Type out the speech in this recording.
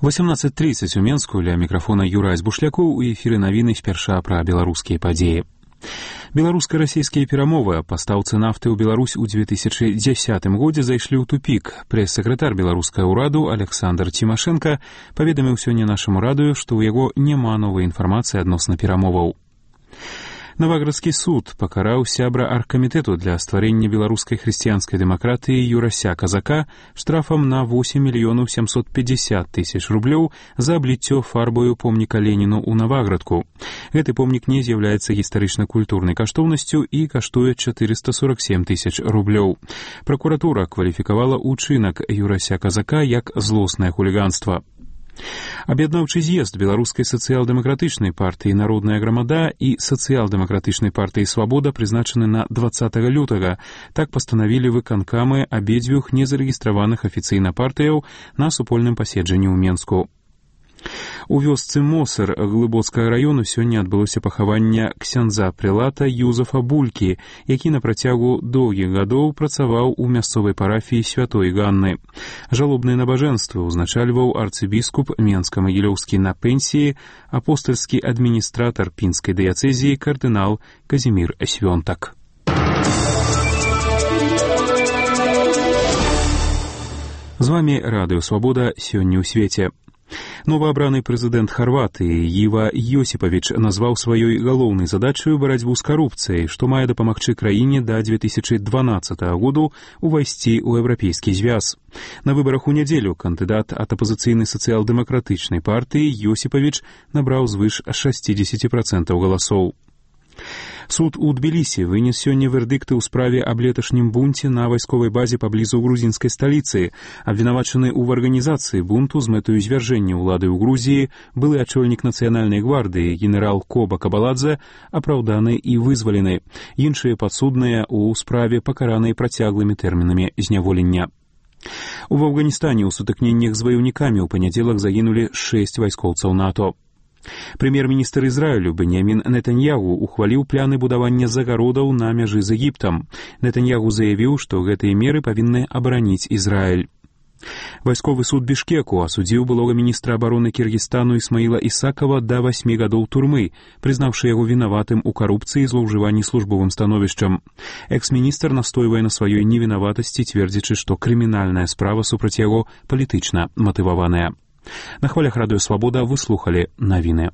18:30 у Менску, ля мікрафона Юрась Бушлякоў, у эфіры навіны спярша пра беларускія падзеі. Беларуска-расійскія перамовы па пастаўцы нафты ў Беларусь у 2010 годзе зайшлі ў тупік. Прэс-сакратар беларускага ўраду Александр Тимошенко паведаміў сёння нашаму радыё, што ў яго няма новай інфармацыі адносна перамоваў. Новаградскі суд пакараў сябра аргкамітэту для стварэння беларускай хрысціянскай дэмакратыі Юрася Казака штрафам на 8 750 000 рублёў за абліццё фарбою помніка Леніну ў Новаградку. Гэты помнік не з'яўляецца гістарычна-культурнай каштоўнасцю і каштуе 447 000 рублёў. Пракуратура кваліфікавала ўчынак Юрася Казака як злоснае хуліганства. Аб'яднаўчы з'езд беларускай сацыял-дэмакратычнай партыі «Народная грамада» і сацыял-дэмакратычнай партыі «Свабода» прызначаны на 20 лютага. Так пастанавілі выканкамы абедзвюх незарэгістраваных афіцыйна партыяў на супольным паседжанні ў Менску. У вёсцы Мосар Глыбоцкага раёну сёння адбылося пахаванне ксяндза-прэлата Юзафа Булькі, які на працягу доўгіх гадоў працаваў у мясцовай парафіі святой Ганны. Жалобныя набажэнствы ўзначальваў арцыбіскуп Менска-Магілёўскі на пенсіі, апостальскі адміністратар пінскай дыяцэзіі кардынал Казімір Свёнтак. З вамі Радыё Свабода сёння ў свеце. Новаабраны прэзідэнт Харватыі Іва Йосіпавіч назваў сваёй галоўнай задачаю барацьбу з карупцыяй, што мае дапамагчы краіне да 2012 году увайсці ў еўрапейскі звяз. На выбарах у нядзелю кандыдат ад апазіцыйнай сацыял-дэмакратычнай партыі Йосіпавіч набраў звыш 60% галасоў. Суд у Тбілісі вынес сёння вердыкты ў справе аб леташнім бунце на вайсковай базе паблізу грузінскай сталіцы. Абвінавачаны ў арганізацыі бунту з мэтаю звяржэння ўлады ў Грузіі былы ачольнік нацыянальнай гвардыі генерал Коба Кабаладзе апраўданы і вызвалены. Іншыя падсудныя ў справе пакараныя працяглымі тэрмінамі зняволення. У Афганістане ў сутыкненнях з ваяўнікамі ў панядзелак загінулі 6 вайскоўцаў НАТО. Прэм'ер-міністр Ізраілю Беньямін Нетаньягу ухваліў пляны будавання загародаў на мяжы з Егіптам. Нетаньягу заявіў, што гэтыя меры павінны абараніць Ізраіль. Вайсковы суд Бішкеку асудзіў былога міністра абароны Кіргізстану Ісмаіла Ісакова да 8 гадоў турмы, прызнаўшы яго вінаватым у карупцыі і злоўжыванні службовым становішчам. Экс-міністр настойвае на сваёй невінаватасці, цвердзячы, што крымінальная справа супраць яго палітычна матываваная. На хвалях Радыё Свабода вы слухалі навіны.